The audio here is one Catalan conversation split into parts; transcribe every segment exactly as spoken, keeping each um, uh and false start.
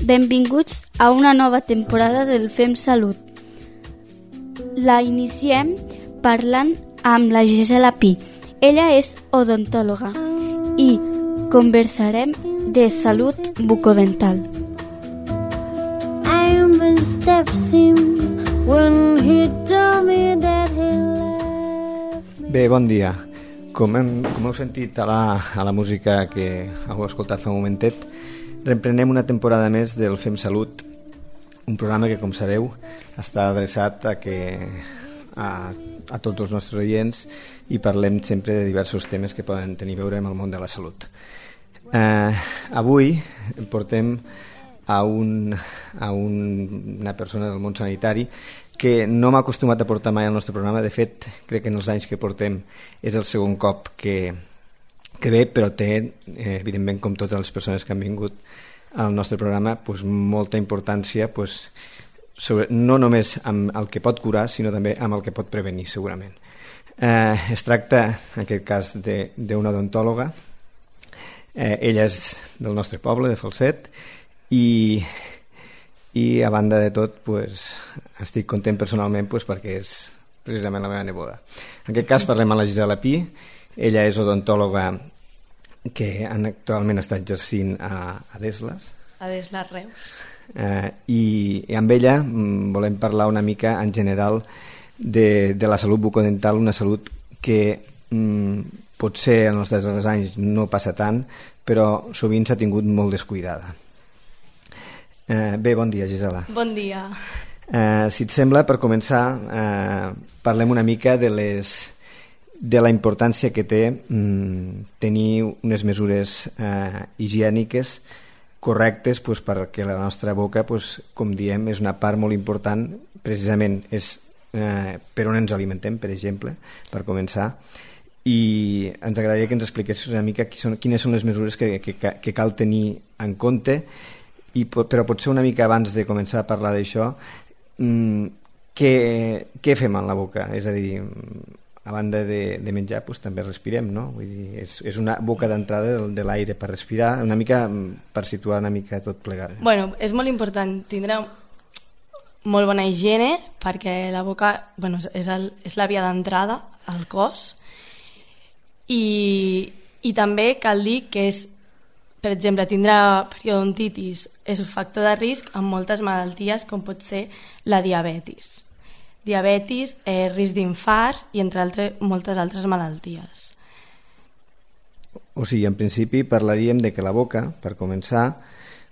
Benvinguts a una nova temporada del Fem Salut. La iniciem parlant amb la Gisela Pi. Ella és odontòloga i conversarem de salut bucodental. Bé, bon dia. Com, hem, com heu sentit a la, a la música que heu escoltat fa un momentet, reprenem una temporada més del Fem Salut, un programa que, com sabeu, està adreçat a, que, a, a tots els nostres oients i parlem sempre de diversos temes que poden tenir a veure amb el món de la salut. Eh, avui portem a, un, a un, una persona del món sanitari que no m'ha acostumat a portar mai al nostre programa. De fet, crec que en els anys que portem és el segon cop que, que ve, però té, eh, evidentment, com totes les persones que han vingut al nostre programa, pues, molta importància, pues, sobre, no només amb el que pot curar, sinó també amb el que pot prevenir, segurament. Eh, es tracta, en aquest cas, d'una odontòloga. Eh, ella és del nostre poble, de Falset, i... i a banda de tot pues, estic content personalment pues, perquè és precisament la meva neboda. En aquest cas parlem amb la Gisela Pi. Ella és odontòloga que actualment està exercint a, a Desles. A Desles, Reus. Eh, i, I amb ella mm, volem parlar una mica en general de, de la salut bucodental, una salut que mm, potser en els darrers anys no passa tant, però sovint s'ha tingut molt descuidada. Eh, bé, bon dia, Gisela. Bon dia. Eh, si et sembla, per començar, eh, parlem una mica de, les, de la importància que té mm, tenir unes mesures eh, higièniques correctes pues, perquè la nostra boca, pues, com diem, és una part molt important, precisament és eh, per on ens alimentem, per exemple, per començar, i ens agradaria que ens expliquessis una mica qui són, quines són les mesures que, que, que cal tenir en compte. I, però potser una mica abans de començar a parlar d'això, mmm, què, què fem en la boca? És a dir, a banda de, de menjar, doncs, també respirem, no? Vull dir, és, és una boca d'entrada de, de l'aire per respirar, una mica per situar una mica tot plegat. Bueno, és molt important tindre molt bona higiene perquè la boca bueno, és, el, és la via d'entrada al cos i, i també cal dir que és, per exemple, tindre periodontitis és un factor de risc amb moltes malalties com pot ser la diabetis. Diabetis, eh, risc d'infarts i entre altres, moltes altres malalties. O sigui, en principi parlaríem de que la boca, per començar,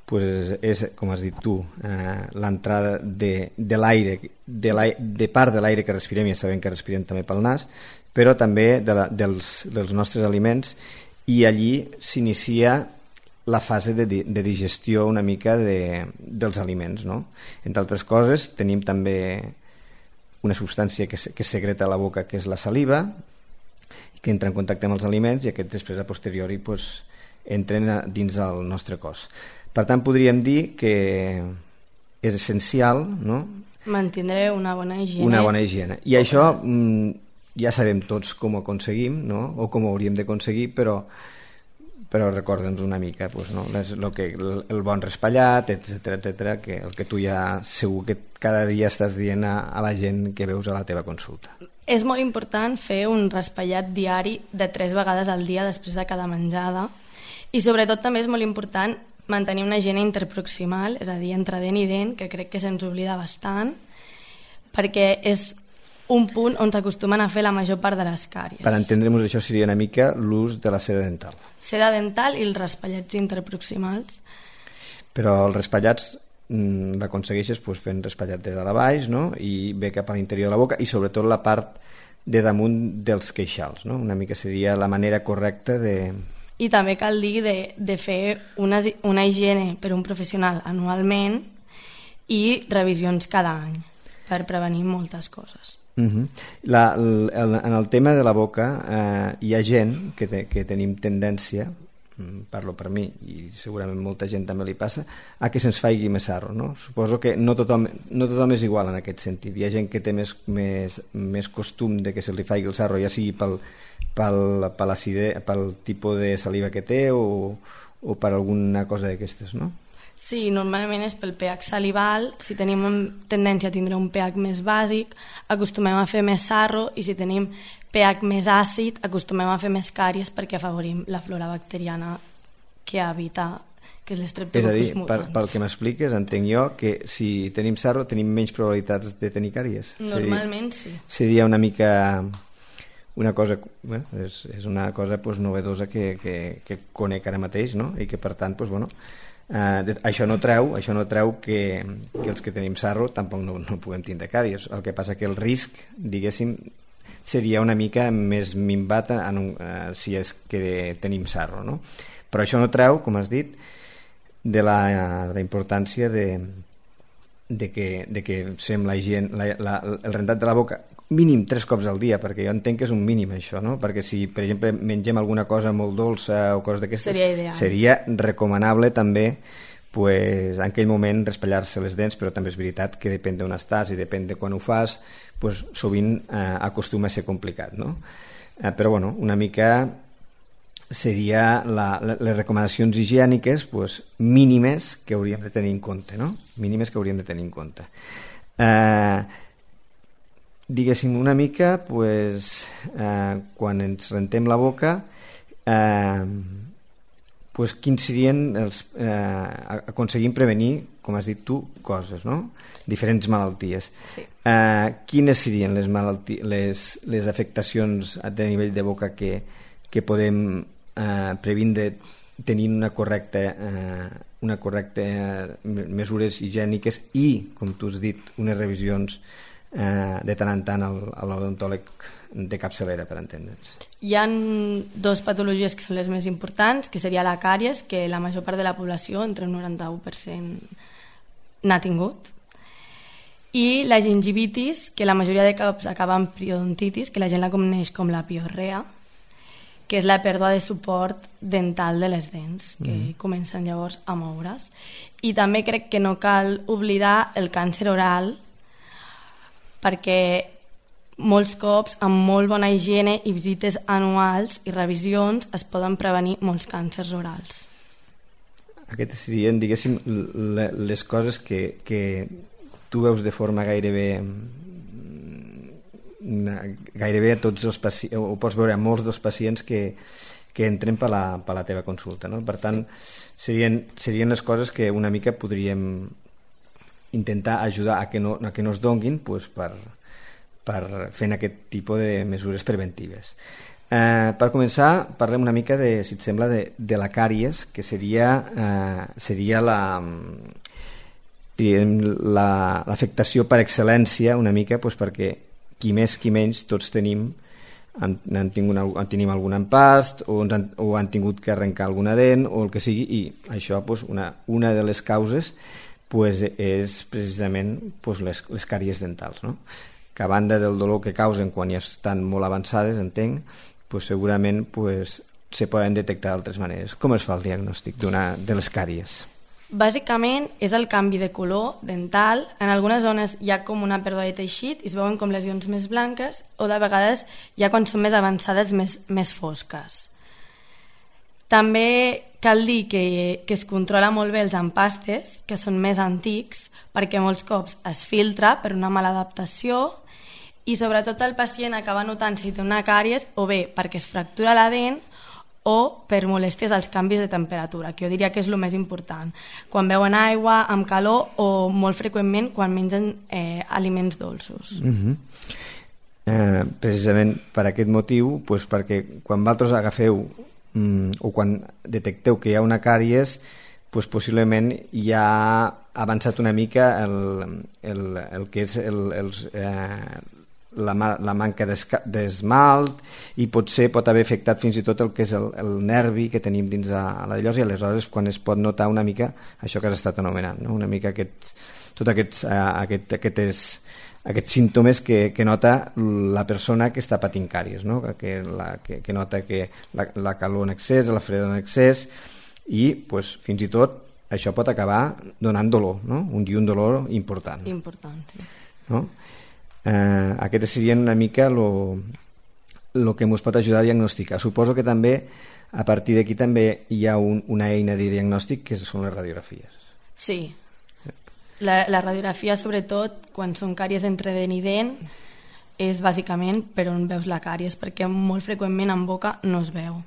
pues és, com has dit tu, eh, l'entrada de, de l'aire, de, de part de l'aire que respirem, ja sabem que respirem també pel nas, però també de la, dels, dels nostres aliments, i allí s'inicia la fase de, de digestió una mica de, dels aliments, no? Entre altres coses, tenim també una substància que, que secreta a la boca, que és la saliva, que entra en contacte amb els aliments i aquests després a posteriori pues, entren a, dins del nostre cos. Per tant, podríem dir que és essencial, no? Mantindre una bona higiene. Una bona higiene. I això mm, ja sabem tots com ho aconseguim, no? O com ho hauríem d'aconseguir, però però recorda'ns una mica pues, no? Les, lo que, el, el bon raspallat, etcètera, etcètera, que el que tu ja segur que cada dia estàs dient a, a la gent que veus a la teva consulta. És molt important fer un raspallat diari de tres vegades al dia després de cada menjada i sobretot també és molt important mantenir una higiene interproximal, és a dir, entre dent i dent, que crec que se'ns oblida bastant, perquè és un punt on s'acostumen a fer la major part de les càries. Per entendre'ns això seria una mica l'ús de la seda dental. Seda dental i els raspallats interproximals. Però els raspallats mm, l'aconsegueixes pues, fent raspallat de dalt a baix, no? I ve cap a l'interior de la boca i sobretot la part de damunt dels queixals, no? Una mica seria la manera correcta de... I també cal dir de, de fer una, una higiene per un professional anualment i revisions cada any per prevenir moltes coses. Uh-huh. La, el, en el tema de la boca eh, hi ha gent que, te, que tenim tendència, parlo per mi i segurament molta gent també li passa, a que se'ns faigui més sarro, no? Suposo que no tothom, no tothom és igual en aquest sentit. Hi ha gent que té més, més, més costum de que se li faigui el sarro, ja sigui pel, pel, pel tipus de saliva que té o, o per alguna cosa d'aquestes, no? Sí, normalment és pel pH salival. Si tenim tendència a tindre un pH més bàsic, acostumem a fer més sarro, i si tenim pH més àcid, acostumem a fer més càries perquè afavorim la flora bacteriana que habita, que és l'Streptococcus mutans. És a dir, per, pel que m'expliques, entenc jo que si tenim sarro tenim menys probabilitats de tenir càries. Normalment seria, sí. Seria una mica... una cosa, bé, és, és una cosa pues, novedosa que, que, que conec ara mateix, no? I que per tant, pues, bueno, eh, de, això no treu, això no treu que, que els que tenim sarro tampoc no, no puguem tindre càries. El que passa que el risc, diguéssim, seria una mica més minvat en un, eh, si és que tenim sarro, no? Però això no treu, com has dit, de la, de la importància de, de, que, de que fem la higiene, la, la, el rentat de la boca mínim tres cops al dia, perquè jo entenc que és un mínim això, no? Perquè si, per exemple, mengem alguna cosa molt dolça o coses d'aquestes, seria, seria recomanable també pues, en aquell moment raspallar-se les dents, però també és veritat que depèn d'on estàs i depèn de quan ho fas, pues, sovint eh, acostuma a ser complicat, no? Eh, però bueno, una mica seria la, les recomanacions higièniques pues, mínimes que hauríem de tenir en compte, no? Mínimes que hauríem de tenir en compte. Eh, diguéssim una mica pues, eh, quan ens rentem la boca eh, pues, quins serien els, eh, aconseguim prevenir, com has dit tu, coses, no? Diferents malalties. Sí. Eh, quines serien les, malalti les, les afectacions a nivell de boca que, que podem eh, previndre tenint una correcta eh, una correcta eh, mesures higièniques i, com tu has dit, unes revisions Eh, de tant en tant a l'odontòleg de capçalera, per entendre'ns. Hi ha dues patologies que són les més importants, que seria la càries, que la major part de la població, entre un noranta-u per cent, n'ha tingut, i la gingivitis, que la majoria de cops acaba en periodontitis, que la gent la coneix com la piorrea, que és la pèrdua de suport dental de les dents, que mm. comencen llavors a moure's. I també crec que no cal oblidar el càncer oral, perquè molts cops, amb molt bona higiene i visites anuals i revisions, es poden prevenir molts càncers orals. Aquestes serien, diguéssim, les coses que, que tu veus de forma gairebé gairebé a tots els pacients, ho pots veure a molts dels pacients que, que entren per la, per la teva consulta, no? Per tant, serien, serien les coses que una mica podríem intentar ajudar a que no, a que no es donguin pues, per, per fent aquest tipus de mesures preventives. Eh, per començar, parlem una mica, de, si et sembla, de, de la càries, que seria, eh, seria la, la, l'afectació per excel·lència, una mica, pues, perquè qui més, qui menys, tots tenim, han, han tingut, han tenim algun empast o, han, o han tingut que arrencar alguna dent o el que sigui, i això, pues, una, una de les causes pues és precisament pues les, les càries dentals, no? Que a banda del dolor que causen quan ja estan molt avançades, entenc, pues segurament pues, se poden detectar d'altres maneres. Com es fa el diagnòstic d'una de les càries? Bàsicament és el canvi de color dental. En algunes zones hi ha com una pèrdua de teixit i es veuen com lesions més blanques, o de vegades ja quan són més avançades més, més fosques. També cal dir que, que es controla molt bé els empastes, que són més antics, perquè molts cops es filtra per una mala adaptació i sobretot el pacient acaba notant si té una càries o bé perquè es fractura la dent o per molèsties als canvis de temperatura, que jo diria que és el més important. Quan beuen aigua, amb calor o molt freqüentment quan mengen eh, aliments dolços. Mm-hmm. eh, precisament per aquest motiu, pues perquè quan vosaltres agafeu o quan detecteu que hi ha una càries, pues possiblement ja ha avançat una mica el, el, el que és el, els, eh, la, la manca d'esmalt i potser pot haver afectat fins i tot el que és el, el nervi que tenim dins de la llosa, i aleshores quan es pot notar una mica això que has estat anomenant, no? Una mica aquest, tot aquests, eh, aquest, aquests, aquests símptomes que, que nota la persona que està patint càries, no? que, la, que, que nota que la, la calor en excés, la fredor en excés, i pues, fins i tot això pot acabar donant dolor, no? un, i un dolor important. Important, sí. No? Eh, aquestes serien una mica lo, lo que ens pot ajudar a diagnosticar. Suposo que també a partir d'aquí també hi ha un, una eina de diagnòstic que són les radiografies. Sí. La, la radiografia, sobretot, quan són càries entre dent i dent, és bàsicament per on veus la càries, perquè molt freqüentment en boca no es veu.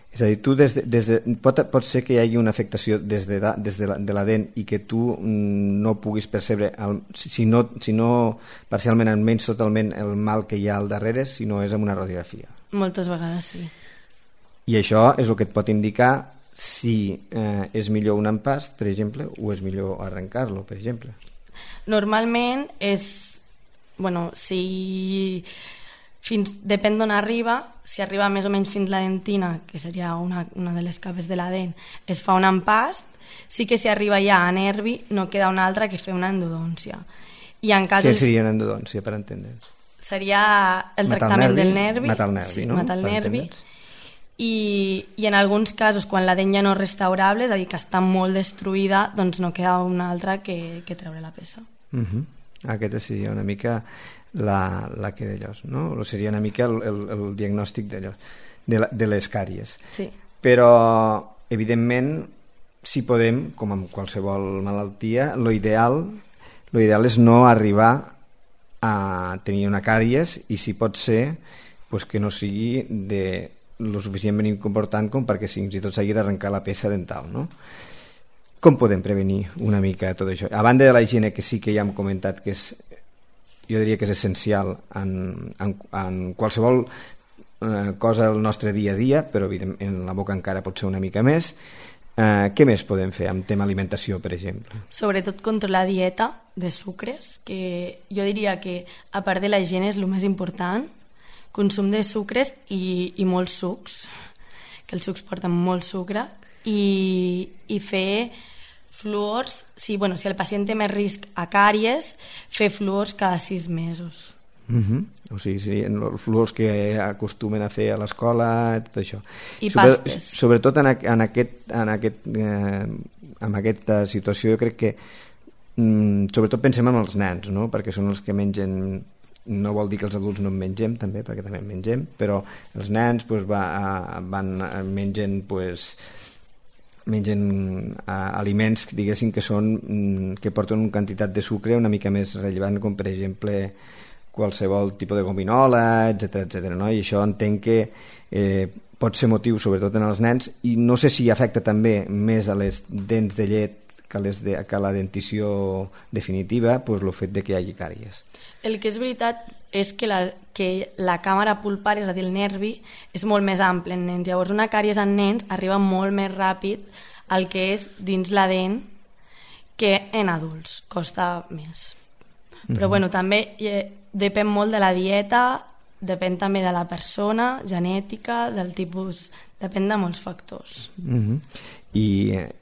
És a dir, tu des de, des de, pot, pot ser que hi hagi una afectació des de, des de, la, de la dent i que tu no puguis percebre, el, si, no, si no parcialment, almenys totalment, el mal que hi ha al darrere, si no és amb una radiografia. Moltes vegades sí. I això és el que et pot indicar si eh, és millor un empast, per exemple, o és millor arrencar-lo, per exemple. Normalment és... Bueno, si... Fins, depèn d'on arriba, si arriba més o menys fins la dentina, que seria una, una de les capes de la dent, es fa un empast. Sí que si arriba ja a nervi no queda una altra que fer una endodòncia. I en casos... Què seria una endodòncia, per entendre'ns? Seria el matar tractament el nervi, del nervi. matar el nervi, sí, no? matar el Per nervi. entendre'ns. I, I en alguns casos, quan la dent ja no és restaurable, és a dir, que està molt destruïda, doncs no queda una altra que, que treure la peça. Uh -huh. Aquesta seria una mica la, la que d'allòs, no? O seria una mica el, el, el diagnòstic d'allò, de, la, de les càries. Sí. Però, evidentment, si podem, com amb qualsevol malaltia, lo ideal, lo ideal és no arribar a tenir una càries i, si pot ser, pues que no sigui de lo suficientment important com perquè fins i tot s'hagi d'arrencar la peça dental, no? Com podem prevenir una mica tot això? A banda de la higiene, que sí que ja hem comentat que és, jo diria que és essencial en, en, en qualsevol eh, cosa del nostre dia a dia, però evidentment en la boca encara pot ser una mica més. Eh, què més podem fer amb tema alimentació, per exemple? Sobretot controlar la dieta de sucres, que jo diria que a part de la higiene és el més important. Consum de sucres i, i molts sucs, que els sucs porten molt sucre, i, i fer fluors, si, bueno, si el pacient té més risc a càries, fer fluors cada sis mesos. Uh-huh. O sigui, sí, els fluors que acostumen a fer a l'escola, tot això. I Sobre, pastes. Sobretot en, en, aquest, en, aquest, eh, en aquesta situació, jo crec que mm, sobretot pensem en els nens, no? Perquè són els que mengen. No vol dir que els adults no en mengem, també, perquè també en mengem, però els nens pues, va, van, mengen, pues, mengen uh, aliments, diguéssim, que, són, que porten una quantitat de sucre una mica més rellevant, com per exemple qualsevol tipus de gominola, etcètera, etcètera, no? I això entenc que eh, pot ser motiu, sobretot en els nens, i no sé si afecta també més a les dents de llet que a, les de, que a la dentició definitiva, pues, el fet de que hi hagi càries. El que és veritat és que la, que la càmera pulpar, és a dir, el nervi, és molt més ample en nens. Llavors, una càries en nens arriba molt més ràpid al que és dins la dent que en adults. Costa més. Però, mm-hmm. bueno, també eh, depèn molt de la dieta, depèn també de la persona, genètica, del tipus... Depèn de molts factors. Mm-hmm. I,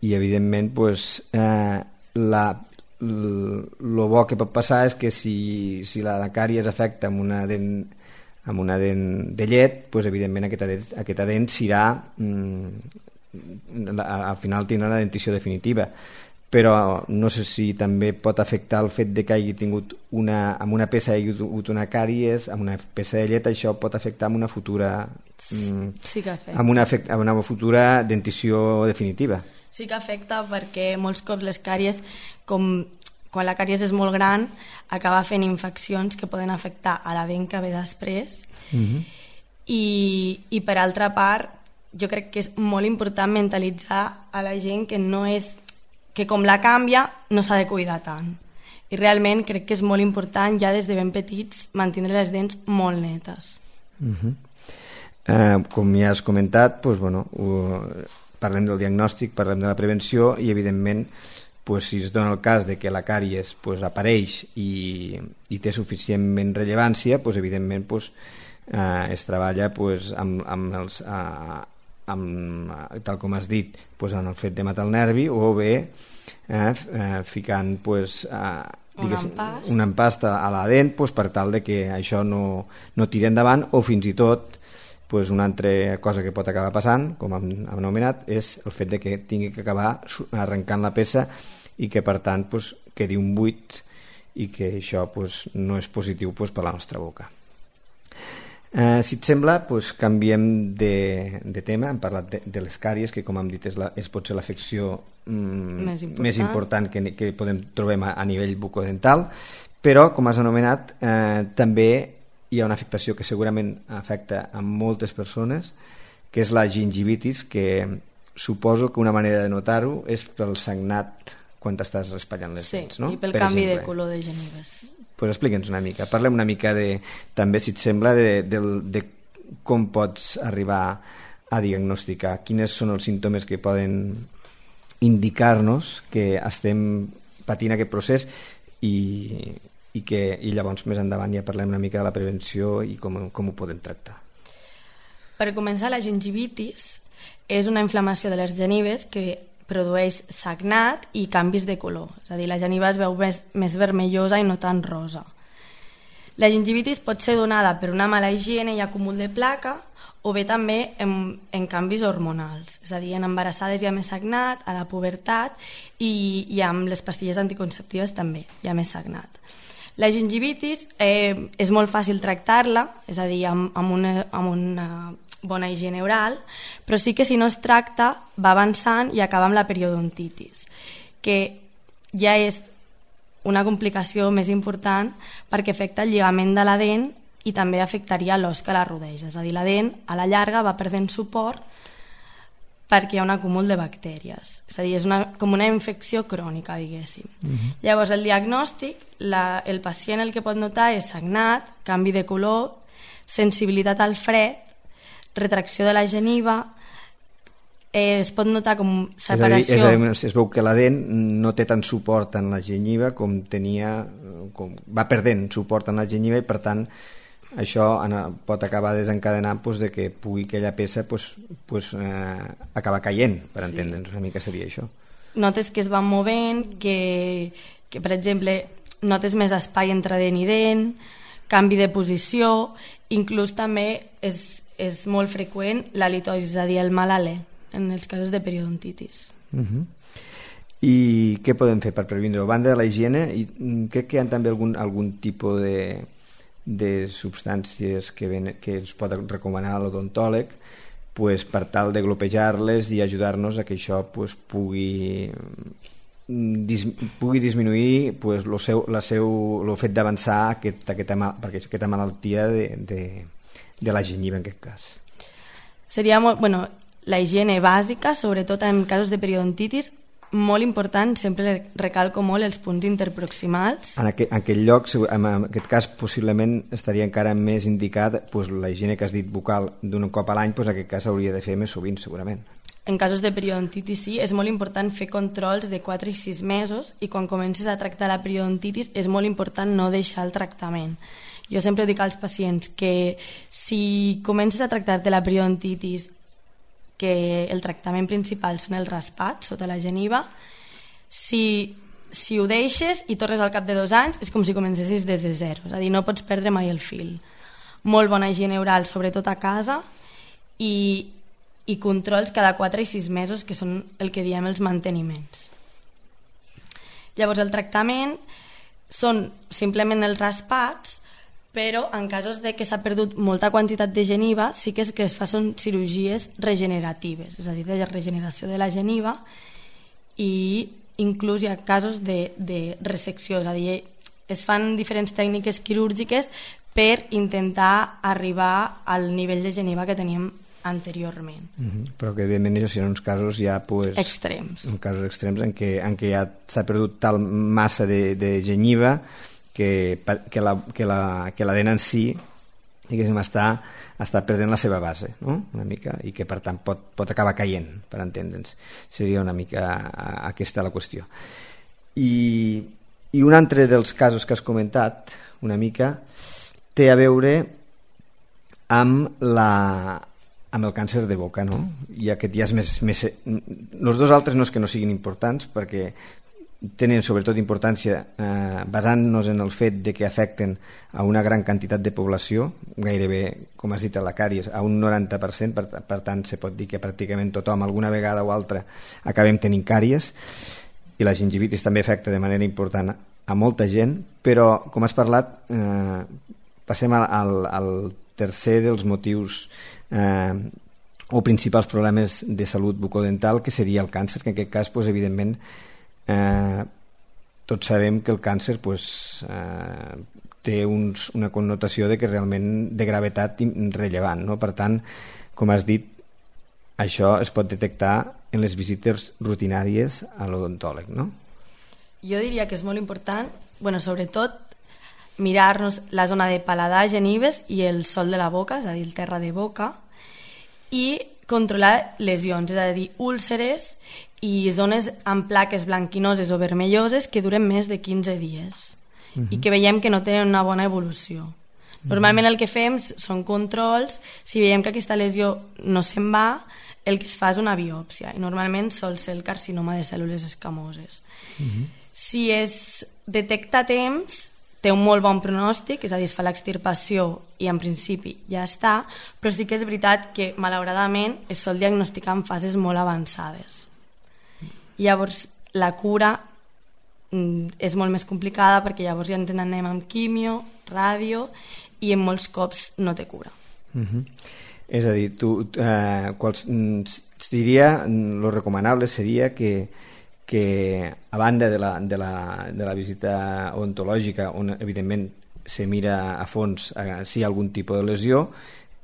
i evidentment, pues, eh, la... el bo que pot passar és que si, si la càries afecta amb una dent, amb una dent de llet, pues, evidentment aquesta dent, aquesta dent serà mm, al final tindrà una dentició definitiva, però no sé si també pot afectar el fet de que hagi tingut una, amb una peça hagi tingut una càries, amb una peça de llet, això pot afectar amb una futura mm, sí que afecta. amb una, amb una futura dentició definitiva. Sí que afecta perquè molts cops les càries, com quan la càries és molt gran, acaba fent infeccions que poden afectar a la dent que ve després. Mm-hmm. I, i per altra part, jo crec que és molt important mentalitzar a la gent que no és que com la canvia no s'ha de cuidar tant. I realment crec que és molt important ja des de ben petits mantenir les dents molt netes. Mm-hmm. eh, com ja has comentat, doncs, bueno, ho, parlem del diagnòstic, parlem de la prevenció i evidentment pues, si es dona el cas de que la càries pues, apareix i, i té suficientment rellevància, pues, evidentment pues, eh, es treballa pues, amb, amb els, eh, amb, tal com has dit, pues, en el fet de matar el nervi o bé eh, eh, ficant pues, eh, digues, un empast, un empast a, a la dent pues, per tal de que això no, no tiri endavant o fins i tot pues una altra cosa que pot acabar passant, com hem anomenat, és el fet de que tingui que acabar arrencant la peça i que per tant pues, quedi un buit i que això pues, no és positiu pues, per la nostra boca. Eh, si et sembla, doncs canviem de, de tema. Hem parlat de, de les càries, que com hem dit és, la, és potser l'afecció mm, més important, més important que, que podem trobem a, a nivell bucodental, però, com has anomenat, eh, també hi ha una afectació que segurament afecta a moltes persones, que és la gingivitis, que suposo que una manera de notar-ho és pel sagnat quan t'estàs raspallant les sí, dents, no? Sí, i pel per canvi exemple. de color de genives. Pues explica'ns una mica, parlem una mica de, també si et sembla, de, de, de com pots arribar a diagnosticar, quines són els símptomes que poden indicar-nos que estem patint aquest procés i, i que i llavors més endavant ja parlem una mica de la prevenció i com, com ho podem tractar. Per començar, la gingivitis és una inflamació de les genives que produeix sagnat i canvis de color, és a dir, la geniva es veu més, més vermellosa i no tan rosa. La gingivitis pot ser donada per una mala higiene i acúmul de placa o bé també en, en canvis hormonals, és a dir, en embarassades hi ha més sagnat, a la pubertat i, i amb les pastilles anticonceptives també hi ha més sagnat. La gingivitis eh, és molt fàcil tractar-la, és a dir, amb, amb una, amb una bona higiene oral, però sí que si no es tracta va avançant i acaba amb la periodontitis, que ja és una complicació més important perquè afecta el lligament de la dent i també afectaria l'os que la rodeja, és a dir, la dent a la llarga va perdent suport perquè hi ha un acúmul de bactèries, és a dir, és una, com una infecció crònica, diguéssim. Uh-huh. Llavors, el diagnòstic, la, el pacient el que pot notar és sagnat, canvi de color, sensibilitat al fred, retracció de la geniva, eh, es pot notar com separació... És a dir, és a dir, es veu que la dent no té tant suport en la gengiva com tenia... Com, va perdent suport en la gengiva i, per tant, això pot acabar desencadenant pues, de que pugui aquella peça pues, pues, eh, acabar caient, per entendre'ns, una mica seria això. Notes que es van movent, que, que per exemple, notes més espai entre dent i dent, canvi de posició, inclús també és és molt freqüent la litosi, és a dir, el mal alè, en els casos de periodontitis. Uh-huh. I què podem fer per prevenir-ho? A banda de la higiene, i crec que hi ha també algun, algun tipus de, de substàncies que, ven, que ens pot recomanar l'odontòleg pues, per tal de glopejar-les i ajudar-nos a que això pues, pugui, dis, pugui disminuir pues, lo seu, la seu, lo fet d'avançar aquest, aquesta, aquesta malaltia de, de de la gengiva en aquest cas. Seria molt, bueno, la higiene bàsica, sobretot en casos de periodontitis, molt important, sempre recalco molt els punts interproximals. En aquest, en aquest lloc, en aquest cas, possiblement estaria encara més indicat pues, la higiene que has dit bucal d'un cop a l'any, pues, en aquest cas hauria de fer més sovint, segurament. En casos de periodontitis sí, és molt important fer controls de quatre i sis mesos i quan comences a tractar la periodontitis és molt important no deixar el tractament. Jo sempre dic als pacients que si comences a tractar-te la periodontitis, que el tractament principal són els raspats sota la geniva, si, si ho deixes i tornes al cap de dos anys és com si comencessis des de zero, és a dir, no pots perdre mai el fil. Molt bona higiene oral, sobretot a casa, i, i controls cada quatre i sis mesos, que són el que diem els manteniments. Llavors, el tractament són simplement els raspats, però en casos de que s'ha perdut molta quantitat de geniva sí que, és que es fa són cirurgies regeneratives, és a dir, de regeneració de la geniva, i inclús hi ha casos de, de resecció, és a dir, es fan diferents tècniques quirúrgiques per intentar arribar al nivell de geniva que teníem anteriorment. Uh-huh. Però que evidentment això serien uns casos ja pues, extrems, uns casos extrems en què, en què ja s'ha perdut tal massa de, de geniva que, que, la, que, la, que la dent en si diguéssim, està, està perdent la seva base, no? Una mica, i que per tant pot, pot acabar caient, per entendre'ns. Seria una mica aquesta la qüestió. I, i un altre dels casos que has comentat una mica té a veure amb la amb el càncer de boca, no? I aquest ja és més, més... Els dos altres no és que no siguin importants, perquè tenen sobretot importància eh, basant-nos en el fet de que afecten a una gran quantitat de població, gairebé, com has dit, a la càries, a un noranta per cent, per, per tant se pot dir que pràcticament tothom alguna vegada o altra acabem tenint càries, i la gingivitis també afecta de manera important a molta gent, però com has parlat, eh, passem al, al, al tercer dels motius eh, o principals problemes de salut bucodental, que seria el càncer, que en aquest cas, pues, evidentment, eh, tots sabem que el càncer pues, eh, té uns, una connotació de que realment de gravetat rellevant, no? Per tant, com has dit, això es pot detectar en les visites rutinàries a l'odontòleg, no? Jo diria que és molt important, bueno, sobretot, mirar-nos la zona de paladar, genives i el sòl de la boca, és a dir, el terra de boca, i controlar lesions, és a dir, úlceres i zones amb plaques blanquinoses o vermelloses que duren més de quinze dies uh-huh. i que veiem que no tenen una bona evolució. Uh-huh. Normalment el que fem són controls, si veiem que aquesta lesió no se'n va, el que es fa és una biòpsia, i normalment sol ser el carcinoma de cèl·lules escamoses. Uh-huh. Si es detecta a temps, té un molt bon pronòstic, és a dir, es fa l'extirpació i en principi ja està, però sí que és veritat que malauradament es sol diagnosticar en fases molt avançades. Llavors la cura és molt més complicada perquè llavors ja ens n'anem amb quimio, ràdio, i en molts cops no té cura. Uh-huh. És a dir, tu, eh, quals, es diria, lo recomanable seria que, que a banda de la, de, la, de la visita odontològica, on evidentment se mira a fons eh, si hi ha algun tipus de lesió,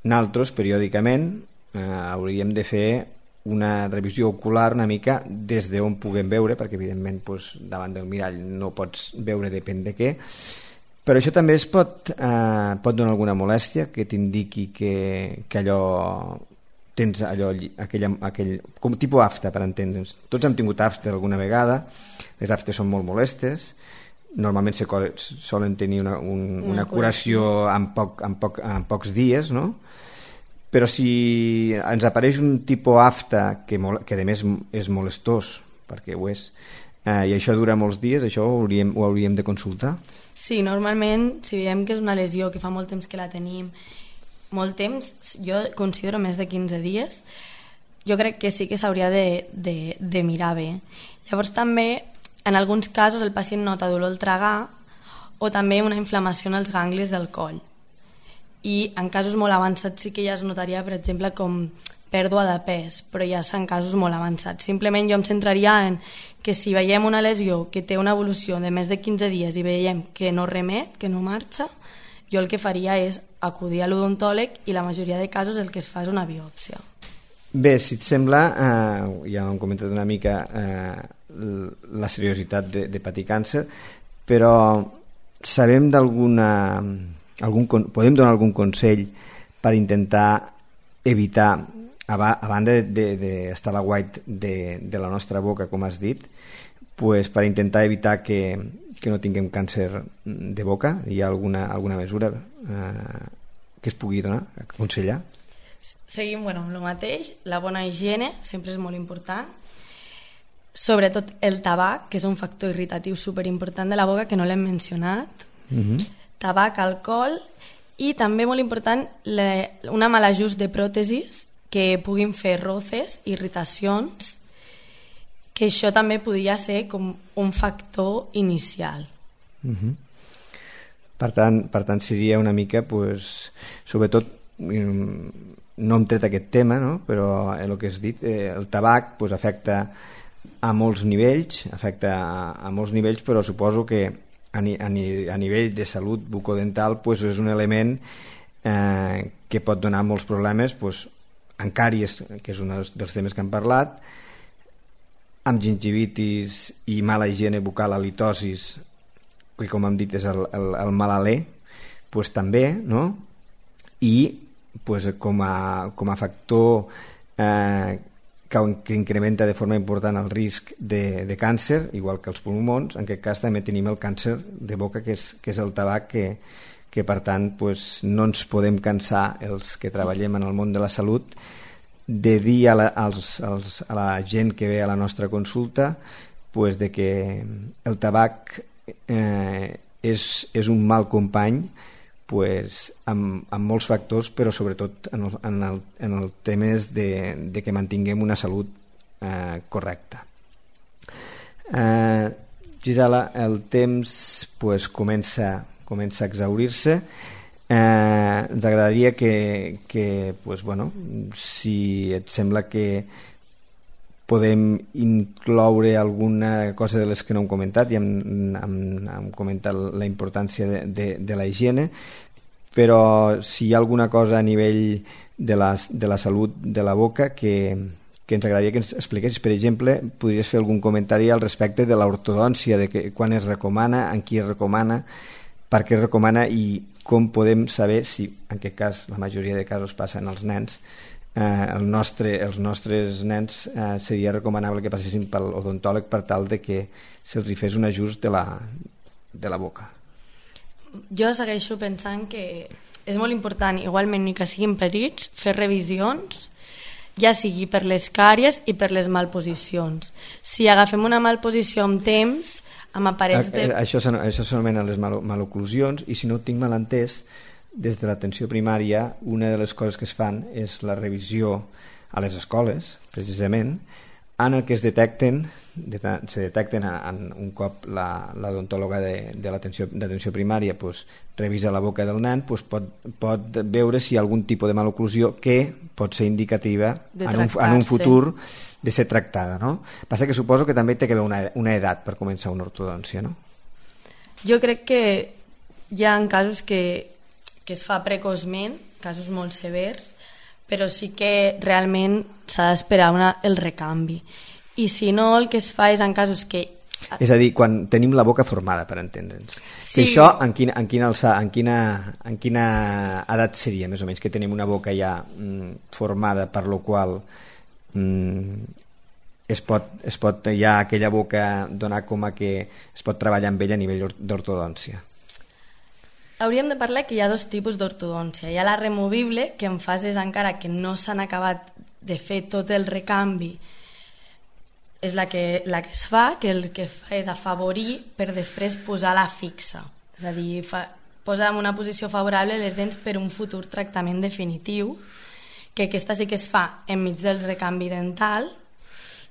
nosaltres periòdicament eh, hauríem de fer una revisió ocular una mica des d'on puguem veure, perquè evidentment doncs, davant del mirall no pots veure depèn de què, però això també es pot, eh, pot donar alguna molèstia que t'indiqui que, que allò tens allò, aquell, aquell, com tipus afta, per entendre'ns. Tots hem tingut afta alguna vegada, les aftes són molt molestes, normalment se solen tenir una, un, una, una curació en, poc, en, poc, en pocs dies, no? Però si ens apareix un tipus afta que, que a més és molestós, perquè ho és, eh, i això dura molts dies, això ho hauríem, ho hauríem de consultar? Sí, normalment, si veiem que és una lesió que fa molt temps que la tenim, molt temps, jo considero més de quinze dies, jo crec que sí que s'hauria de, de, de mirar bé. Llavors també, en alguns casos, el pacient nota dolor al tragar o també una inflamació en els ganglis del coll. I en casos molt avançats sí que ja es notaria, per exemple, com pèrdua de pes, però ja són casos molt avançats. Simplement jo em centraria en que si veiem una lesió que té una evolució de més de quinze dies i veiem que no remet, que no marxa, jo el que faria és acudir a l'odontòleg i la majoria de casos el que es fa és una biòpsia. Bé, si et sembla, eh, ja hem comentat una mica eh, la seriositat de, de patir càncer, però sabem d'alguna... Algun, podem donar algun consell per intentar evitar, a, ba, a banda d'estar a la white de, de la nostra boca, com has dit, pues per intentar evitar que, que no tinguem càncer de boca? Hi ha alguna, alguna mesura eh, que es pugui donar, aconsellar? Seguim bueno, amb el mateix. La bona higiene sempre és molt important. Sobretot el tabac, que és un factor irritatiu superimportant de la boca, que no l'hem mencionat. Uh-huh. Tabac, alcohol i també molt important la, una mal ajust de pròtesis que puguin fer roces, irritacions, que això també podria ser com un factor inicial. Uh-huh. Per tant, per tant seria una mica, pues, sobretot, no hem tret aquest tema, no? Però el que has dit, eh, el tabac pues, afecta a molts nivells, afecta a, a molts nivells, però suposo que a, ni, a, ni, a nivell de salut bucodental pues, és un element eh, que pot donar molts problemes pues, en càries, que és un dels temes que hem parlat, amb gingivitis i mala higiene bucal, halitosis, que com hem dit és el, el, el mal alè, pues, també, no? I pues, com, a, com a factor eh, que, que incrementa de forma important el risc de, de càncer, igual que els pulmons, en aquest cas també tenim el càncer de boca, que és, que és el tabac, que, que per tant pues, no ens podem cansar els que treballem en el món de la salut de dir a la, als, als, a la gent que ve a la nostra consulta pues, de que el tabac eh, és, és un mal company pues, amb, amb molts factors, però sobretot en el, en el, en el temes de, de que mantinguem una salut eh, correcta. Eh, Gisela, el temps pues, comença, comença a exaurir-se. Eh, ens agradaria que, que pues, bueno, si et sembla que podem incloure alguna cosa de les que no hem comentat, i hem, hem, hem comentat la importància de, de, de la higiene, però si hi ha alguna cosa a nivell de la, de la salut de la boca que, que ens agradaria que ens expliquessis. Per exemple, podries fer algun comentari al respecte de l'ortodòncia, de que, quan es recomana, en qui es recomana, per què es recomana i com podem saber si, en aquest cas, la majoria de casos passen als nens, eh, el nostre, els nostres nens eh, seria recomanable que passessin pel odontòleg per tal de que se'ls hi fes un ajust de la, de la boca. Jo segueixo pensant que és molt important, igualment ni que siguin petits, fer revisions, ja sigui per les càries i per les malposicions. Si agafem una malposició amb temps, amb aparells de... Això, això s'anomena les mal maloclusions, i si no ho tinc mal entès, des de l'atenció primària una de les coses que es fan és la revisió a les escoles, precisament, en el que es detecten, se detecten en un cop l'odontòloga de, de l'atenció primària pues, revisa la boca del nen, pues, pot, pot veure si hi ha algun tipus de maloclusió que pot ser indicativa en un, en un futur de ser tractada, no? Passa que suposo que també té que haver una, una edat per començar una ortodòncia, no? Jo crec que hi ha casos que, que es fa precoçment, casos molt severs, però sí que realment s'ha d'esperar el recanvi. I si no, el que es fa és en casos que... És a dir, quan tenim la boca formada, per entendre'ns. Sí. Que això, en quina, en, quina alça, en, quina, en quina edat seria, més o menys, que tenim una boca ja mm, formada, per lo qual mm, es pot, es pot ja aquella boca donar com a que es pot treballar amb ella a nivell d'ortodòncia? Hauríem de parlar que hi ha dos tipus d'ortodòncia. Hi ha la removible, que en fases encara que no s'han acabat de fer tot el recanvi, és la que, la que es fa, que el que fa és afavorir per després posar la fixa. És a dir, fa, posar en una posició favorable les dents per un futur tractament definitiu, que aquesta sí que es fa enmig del recanvi dental,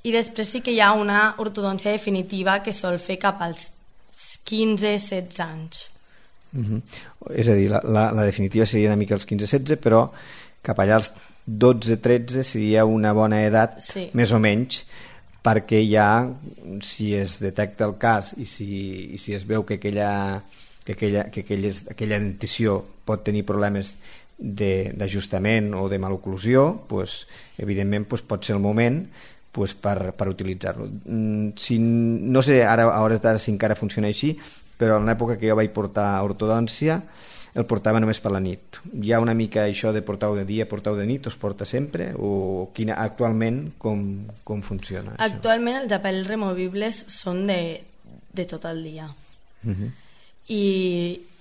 i després sí que hi ha una ortodòncia definitiva que sol fer cap als quinze setze anys. Uh-huh. És a dir, la, la, la definitiva seria una mica els quinze setze, però cap allà als dotze tretze seria una bona edat, sí, més o menys, perquè ja, si es detecta el cas i si, i si es veu que aquella, que aquella, que aquella, aquella dentició pot tenir problemes d'ajustament o de maloclusió, pues, evidentment pues, pot ser el moment pues, per, per utilitzar-lo. Si, no sé ara, a hores d'ara si encara funciona així, però en l'època que jo vaig portar ortodòncia el portava només per la nit. Hi ha una mica això de portar-ho de dia, portar-ho de nit, o es porta sempre? O quina, actualment com, com funciona? Actualment això? Els aparells removibles són de, de tot el dia. Uh-huh. I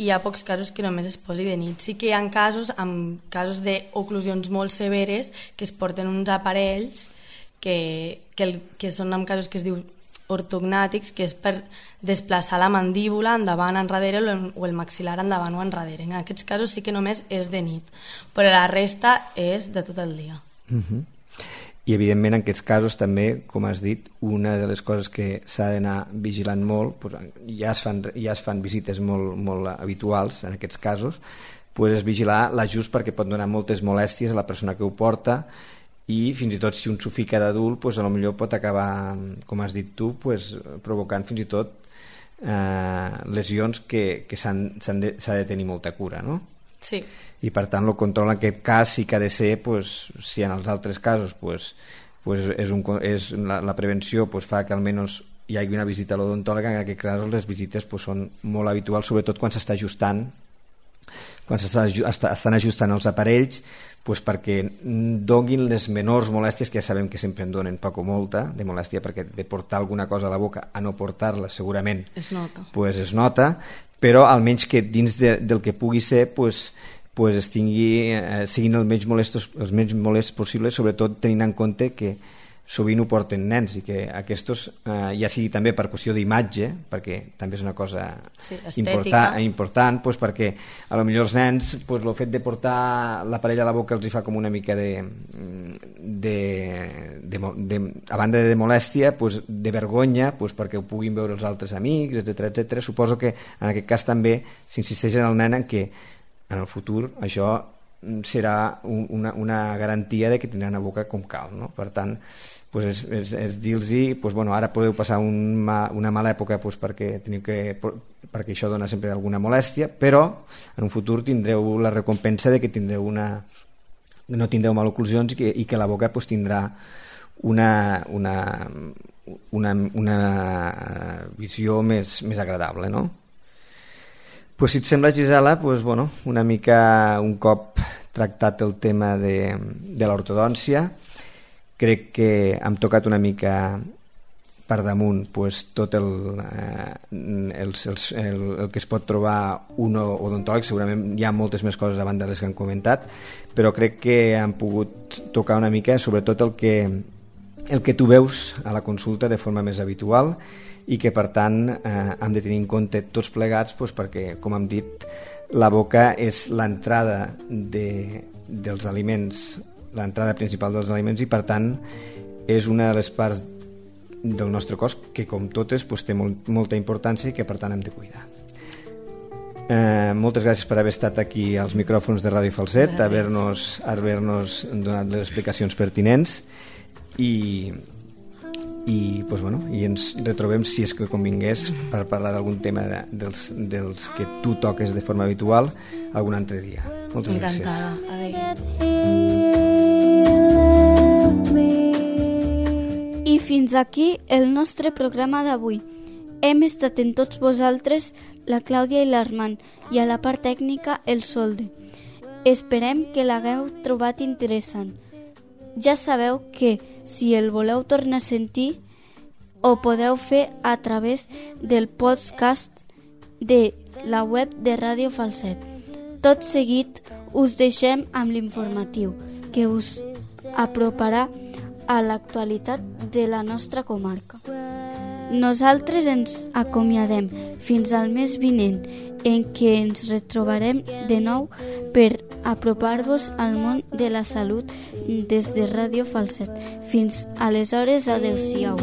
hi ha pocs casos que només es posi de nit. Sí que hi ha casos, amb casos d'oclusions molt severes, que es porten uns aparells que, que, el, que són en casos que es diu ortognàtics, que és per desplaçar la mandíbula endavant, enrere, o el maxil·lar endavant o enrere. En aquests casos sí que només és de nit, però la resta és de tot el dia. Uh-huh. I evidentment en aquests casos també, com has dit, una de les coses que s'ha d'anar vigilant molt, doncs, ja, es fan, ja es fan visites molt, molt habituals en aquests casos, doncs és vigilar l'ajust, perquè pot donar moltes molèsties a la persona que ho porta, i fins i tot si un s'ho fica d'adult pues, a lo millor pot acabar, com has dit tu, pues, provocant fins i tot eh, lesions que, que s'ha de, de tenir molta cura, no? Sí. I per tant el control en aquest cas sí que ha de ser, pues, si en els altres casos pues, pues és un, és la, la prevenció pues, fa que almenys hi hagi una visita a l'odontòleg, en aquest cas les visites pues, són molt habituals, sobretot quan s'està ajustant quan s'estan ajustant els aparells, pues perquè donin les menors molèsties, que ja sabem que sempre en donen poc o molta de molèstia, perquè de portar alguna cosa a la boca a no portar-la segurament es nota, pues es nota, però almenys que dins de, del que pugui ser pues, pues es tingui, eh, siguin els menys molestos, els menys molests possibles, sobretot tenint en compte que sovint ho porten nens i que aquests, eh, ja sigui també per qüestió d'imatge, perquè també és una cosa sí, important, important doncs perquè a lo millor els nens doncs, el fet de portar l'aparell a la boca els hi fa com una mica de, de, de, de a banda de molèstia, doncs, de vergonya, doncs, perquè ho puguin veure els altres amics, etcètera etcètera. Suposo que en aquest cas també s'insisteix en el nen en que en el futur això serà una, una garantia de que tindran una boca com cal, no? Per tant, pues és, és, és dir-los, pues bueno, ara podeu passar un ma, una mala època pues perquè, teniu que, perquè això dona sempre alguna molèstia, però en un futur tindreu la recompensa de que tindreu una, no tindreu maloclusions i que, i que la boca pues, tindrà una, una, una, una visió més, més agradable, no? Pues si et sembla, Gisela, pues bueno, una mica un cop tractat el tema de, de l'ortodòncia, crec que hem tocat una mica per damunt pues, tot el, eh, el, el, el, el que es pot trobar un odontòleg. Segurament hi ha moltes més coses a banda de les que han comentat, però crec que han pogut tocar una mica sobretot el que, el que tu veus a la consulta de forma més habitual i que per tant eh, hem de tenir en compte tots plegats pues, perquè, com hem dit, la boca és l'entrada de, dels aliments, l'entrada principal dels aliments i per tant és una de les parts del nostre cos que com totes pues, té molt, molta importància i que per tant hem de cuidar. Eh, moltes gràcies per haver estat aquí als micròfons de Ràdio Falset, haver-nos haver-nos donat les explicacions pertinents i i, pues, bueno, i ens retrobem si és que convingués per parlar d'algun tema de, dels, dels que tu toques de forma habitual algun altre dia. Moltes Encantada. gràcies. I fins aquí el nostre programa d'avui. Hem estat en tots vosaltres la Clàudia i l'Armand i a la part tècnica el Solde. Esperem que l'hagueu trobat interessant. Ja sabeu que si el voleu tornar a sentir ho podeu fer a través del podcast de la web de Ràdio Falset. Tot seguit us deixem amb l'informatiu que us aproparà a l'actualitat de la nostra comarca. Nosaltres ens acomiadem fins al mes vinent en què ens retrobarem de nou per apropar-vos al món de la salut des de Ràdio Falset. Fins aleshores, adeu-siau.